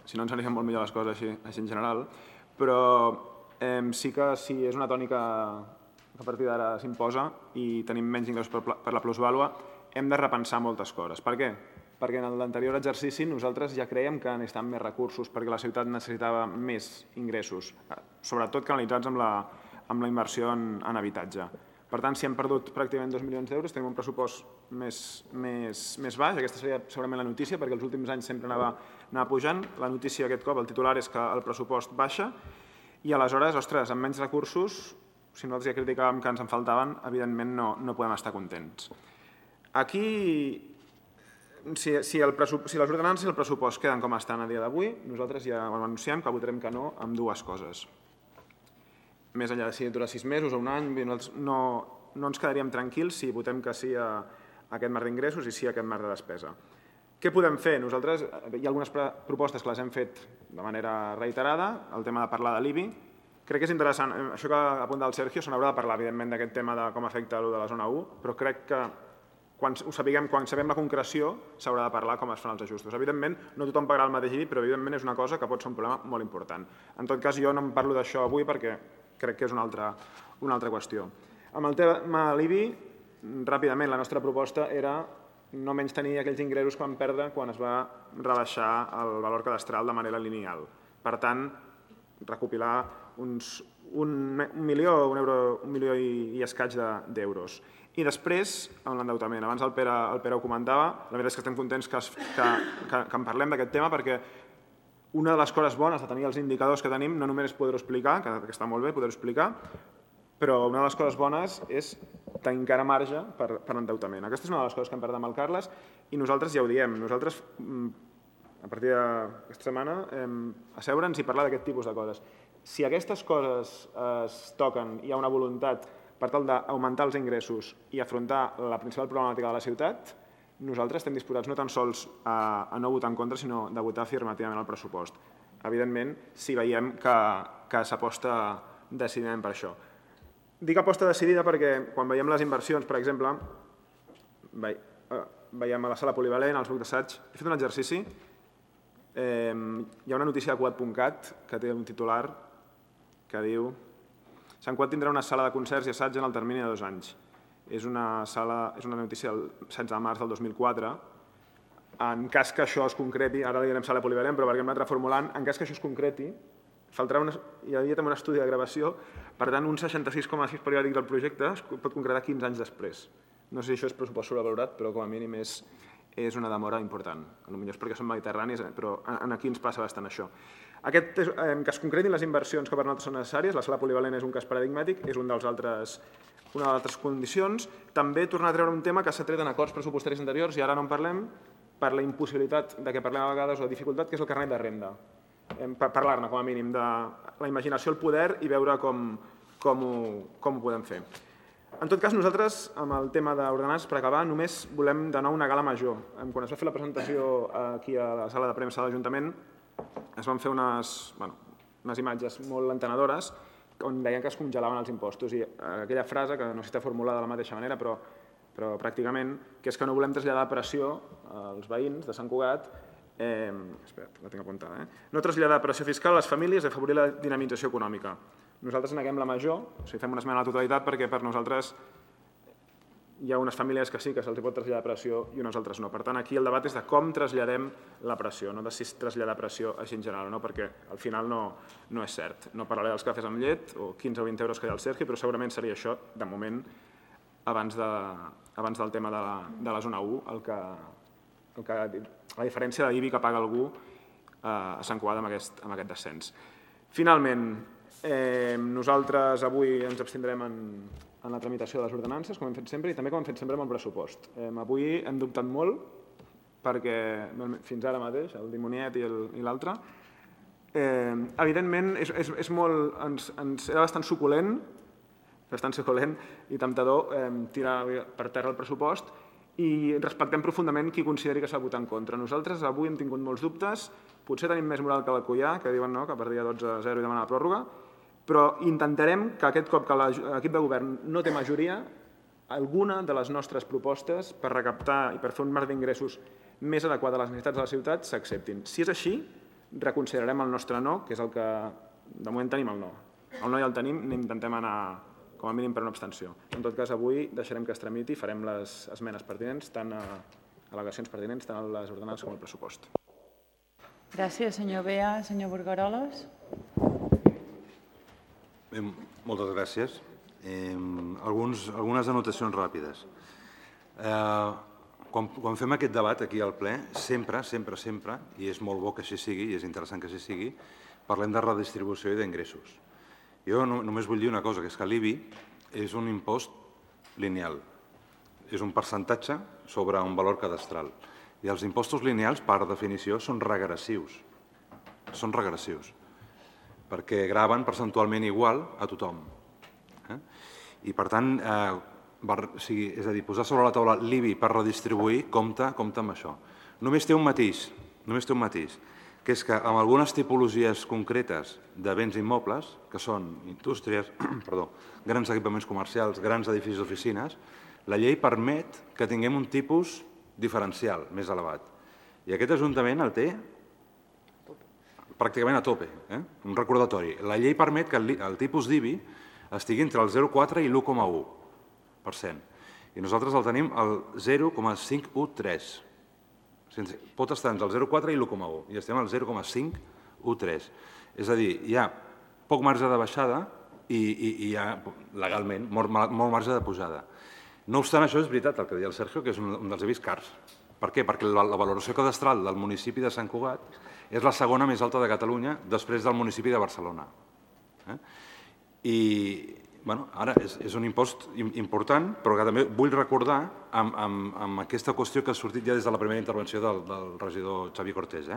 S10: si no ens anirien molt millor les coses així en general, però sí que si és una tònica que a partir d'ara s'imposa i tenim menys ingressos per la plusvàlua, hem de repensar moltes coses. Per què? Perquè en l'anterior exercici nosaltres ja crèiem que necessitàvem més recursos perquè la ciutat necessitava més ingressos, sobretot canalitzats amb la inversió en habitatge. Per tant, si hem perdut pràcticament 2 milions d'euros, tenim un pressupost més baix. Aquesta seria segurament la notícia, perquè els últims anys sempre anava pujant. La notícia aquest cop, el titular, és que el pressupost baixa i aleshores, ostres, amb menys recursos, si nosaltres ja criticàvem que ens en faltaven, evidentment no podem estar contents. Aquí, si les ordenances i el pressupost queden com estan a dia d'avui, nosaltres ja ho anunciem que votarem que no amb dues coses. Més enllà de si dura 6 mesos o un any, no ens quedaríem tranquils si votem que sí a aquest marc d'ingressos i sí a aquest marc de despesa. Què podem fer? Nosaltres, hi ha algunes propostes que les hem fet de manera reiterada, el tema de parlar de l'IBI. Crec que és interessant, això que apunta el Sergio, se n'haurà de parlar, evidentment, d'aquest tema de com afecta allò de la zona 1, però crec que quan sabem la concreció s'haurà de parlar com es fan els ajustos. Evidentment, no tothom pagarà el mateix IBI, però evidentment és una cosa que pot ser un problema molt important. En tot cas, jo no em parlo d'això avui perquè crec que és una altra qüestió. Amb el tema de l'IBI, ràpidament, la nostra proposta era no menys tenir aquells ingressos que vam perdre quan es va rebaixar el valor cadastral de manera lineal. Per tant, recopilar un milió i escaig d'euros. I després, amb l'endeutament. Abans el Pere ho comentava, la veritat és que estem contents que en parlem d'aquest tema perquè una de les coses bones de tenir els indicadors que tenim no només és poder-ho explicar, que està molt bé poder-ho explicar, però una de les coses bones és tenir encara marge per endeutament. Aquesta és una de les coses que hem parlat amb el Carles i nosaltres ja ho diem. Nosaltres, a partir d'aquesta setmana, asseure'ns i parlar d'aquest tipus de coses. Si aquestes coses es toquen i hi ha una voluntat per tal d'augmentar els ingressos i afrontar la principal problemàtica de la ciutat, nosaltres estem disposats no tan sols a no votar en contra, sinó de votar afirmativament el pressupost. Evidentment, si veiem que s'aposta decididament per això. Dic aposta decidida perquè quan veiem les inversions, per exemple, veiem a la sala polivalent, als blocs d'assaig, he fet un exercici, hi ha una notícia de Quat.cat que té un titular que diu Sant Quat tindrà una sala de concerts i assaig en el termini de 2 anys. És una notícia del 16 de març del 2004. En cas que això es concreti, ara li direm sala polivalent, però perquè hem anat reformulant, en cas que això es concreti, hi havia també un estudi de gravació, per tant, un 66,6 periòdic del projecte es pot concretar 15 anys després. No sé si això és pressupost sobrevalorat, però com a mínim és una demora important. Potser és perquè són mediterranis, però aquí ens passa bastant això. Que es concretin les inversions que per nosaltres són necessàries, la sala polivalent és un cas paradigmàtic, és una de les altres condicions. També tornar a treure un tema que s'ha tret en acords pressupostaris anteriors i ara no en parlem, per la impossibilitat de què parlem a vegades o la dificultat, que és el carnet de renda. Parlar-ne, com a mínim, de la imaginació, el poder i veure com ho podem fer. En tot cas, nosaltres, amb el tema d'ordenances, per acabar, només volem de nou una gala major. Quan es va fer la presentació aquí a la sala de premsa de l'Ajuntament, es van fer unes imatges molt entenedores on deien que es congelaven els impostos i aquella frase, que no està formulada de la mateixa manera, però pràcticament, que és que no volem traslladar pressió als veïns de Sant Cugat, espera't, la tinc apuntada, no traslladar pressió fiscal a les famílies i afavorir la dinamització econòmica. Nosaltres neguem la major, o sigui, fem una esmena a la totalitat perquè per nosaltres hi ha unes famílies que sí que se'ls pot traslladar pressió i unes altres no. Per tant, aquí el debat és de com traslladem la pressió, no de si traslladar pressió així en general, perquè al final no és cert. No parlaré dels cafès amb llet o 15 o 20 euros que hi ha al Sergi, però segurament seria això, de moment, abans del tema de la zona 1, la diferència de l'IBI que paga algú a Sant Cugat amb aquest descens. Finalment, nosaltres avui ens abstindrem en la tramitació de les ordenances, com hem fet sempre, i també com hem fet sempre amb el pressupost. Avui hem dubtat molt, perquè fins ara mateix, el dimoniet i l'altre, evidentment era bastant suculent i temptador tirar per terra el pressupost i respectem profundament qui consideri que s'ha de votar en contra. Nosaltres avui hem tingut molts dubtes, potser tenim més moral que l'Alcoià, que diuen que perdia 12-0 i demana la pròrroga, però intentarem que aquest cop que l'equip de govern no té majoria, alguna de les nostres propostes per recaptar i per fer un marc d'ingressos més adequat a les necessitats de la ciutat s'acceptin. Si és així, reconsiderarem el nostre no, que és el que de moment tenim el no. El no ja el tenim, intentem anar com a mínim per una abstenció. En tot cas, avui deixarem que es tramiti i farem les esmenes pertinents, tant al·legacions pertinents, tant a les ordenances com al pressupost.
S2: Gràcies, senyor Bea. Senyor Burgaroles.
S1: Moltes gràcies. Algunes anotacions ràpides. Quan fem aquest debat aquí al ple, sempre, i és molt bo que així sigui, i és interessant que així sigui, parlem de redistribució i d'ingressos. Jo només vull dir una cosa, que és que l'IBI és un impost lineal. És un percentatge sobre un valor cadastral. I els impostos lineals, per definició, són regressius. Són regressius. Perquè graven percentualment igual a tothom. I, per tant, és a dir, posar sobre la taula l'IBI per redistribuir, compta amb això. Només té un matís, que és que amb algunes tipologies concretes de béns immobles, que són indústries, grans equipaments comercials, grans edificis d'oficines, la llei permet que tinguem un tipus diferencial més elevat. I aquest Ajuntament el té pràcticament a tope. Un recordatori. La llei permet que el tipus d'IBI estigui entre el 0,4 i l'1,1%. I nosaltres el tenim al 0,513. Pot estar entre el 0,4 i l'1,1 i estem al 0,513. És a dir, hi ha poc marge de baixada i hi ha, legalment, molt marge de pujada. No obstant això, és veritat el que deia el Sergio, que és un dels IBIs cars. Per què? Perquè la valoració cadastral del municipi de Sant Cugat és la segona més alta de Catalunya després del municipi de Barcelona. I ara és un impost important, però que també vull recordar amb aquesta qüestió que ha sortit ja des de la primera intervenció del regidor Xavier Cortés,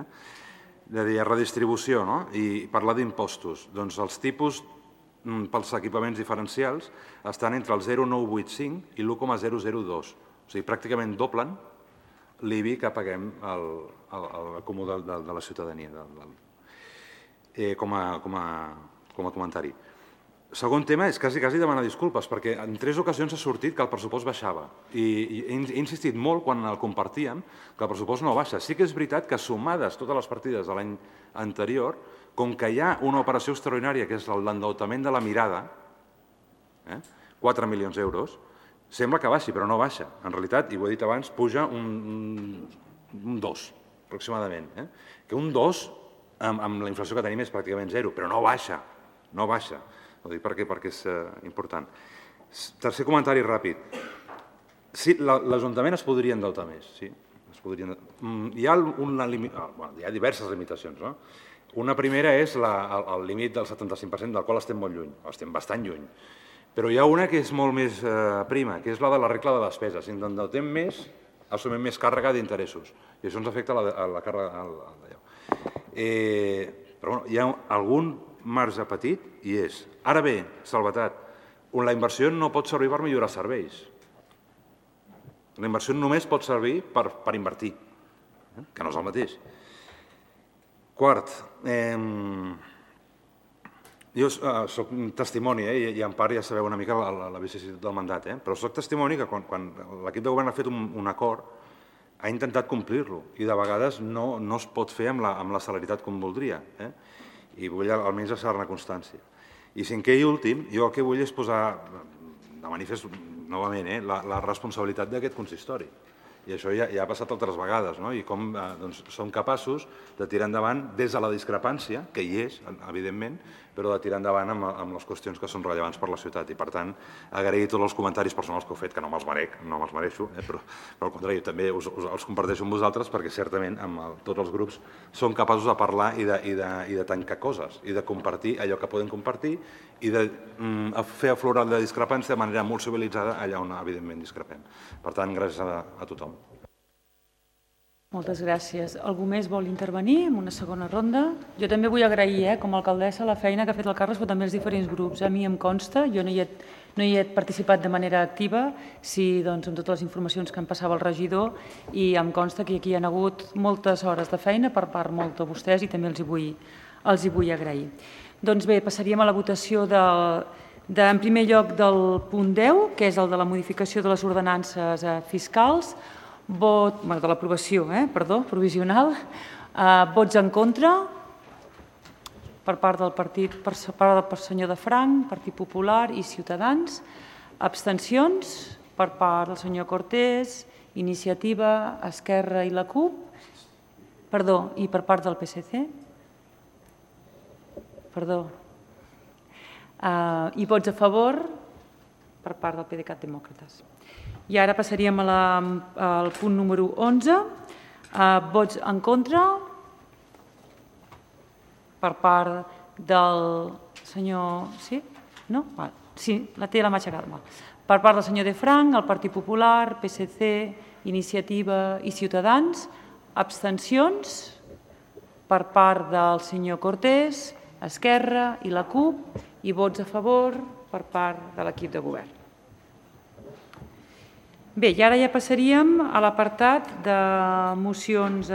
S1: de dir redistribució i parlar d'impostos. Doncs els tipus pels equipaments diferencials estan entre el 0,985 i l'1,002. O sigui, pràcticament doblen l'IBI que paguem al comú de la ciutadania, com a comentari. Segon tema és quasi demanar disculpes, perquè en 3 ocasions ha sortit que el pressupost baixava. I he insistit molt quan el compartíem que el pressupost no baixa. Sí que és veritat que sumades totes les partides de l'any anterior, com que hi ha una operació extraordinària, que és l'endeutament de la Mirada, 4 milions d'euros, sembla que baixi, però no baixa. En realitat, i ho he dit abans, puja un 2, aproximadament. Que un 2, amb la inflació que tenim, és pràcticament 0, però no baixa, no baixa. Ho dic perquè és important. Tercer comentari ràpid. Sí, l'Ajuntament es podria endeutar més, sí. Hi ha diverses limitacions. Una primera és el límit del 75%, del qual estem molt lluny, estem bastant lluny. Però hi ha una que és molt més prima, que és la de la regla de despesa. Si ens endeutem més, assumim més càrrega d'interessos. I això ens afecta la càrrega d'allò. Però hi ha algun marge petit i és. Ara bé, salvetat, la inversió no pot servir per millorar serveis. La inversió només pot servir per invertir, que no és el mateix. Quart, jo soc un testimoni, i en part ja sabeu una mica la vicissituд del mandat, però soc testimoni que quan l'equip de govern ha fet un acord ha intentat complir-lo i de vegades no es pot fer amb la celeritat com voldria. I vull almenys deixar-ne constància. I cinquè i últim, jo el que vull és posar de manifest novament la responsabilitat d'aquest consistori. I això ja ha passat altres vegades, i com som capaços de tirar endavant des de la discrepància, que hi és, evidentment, però de tirar endavant amb les qüestions que són rellevants per la ciutat. I, per tant, agrair tots els comentaris personals que heu fet, que no me'ls mereixo, però al contrari, també els comparteixo amb vosaltres perquè certament amb tots els grups som capaços de parlar i de tancar coses i de compartir allò que podem compartir i de fer aflorar la discrepància de manera molt civilitzada allà on, evidentment, discrepem. Per tant, gràcies a tothom.
S2: Moltes gràcies. Algú més vol intervenir en una segona ronda? Jo també vull agrair, com a alcaldessa, la feina que ha fet el Carles, però també els diferents grups. A mi em consta, jo no hi he participat de manera activa, sí, amb totes les informacions que em passava el regidor, i em consta que aquí hi ha hagut moltes hores de feina per part molt de vostès i també els hi vull agrair. Doncs bé, passaríem a la votació en primer lloc del punt 10, que és el de la modificació de les ordenances fiscals, de l'aprovació, provisional. Vots en contra per part del partit, per senyor de Franc, Partit Popular i Ciutadans. Abstencions per part del senyor Cortés, Iniciativa, Esquerra i la CUP. Perdó, i per part del PSC. Perdó. I vots a favor per part del PDeCAT Demòcrates. I ara passaríem al punt número 11. Vots en contra per part del senyor... Sí? No? Sí, té la mà aixecada. Per part del senyor de Franc, el Partit Popular, PSC, Iniciativa i Ciutadans. Abstencions per part del senyor Cortés, Esquerra i la CUP, i vots a favor per part de l'equip de govern. Bé, i ara ja passaríem a l'apartat de mocions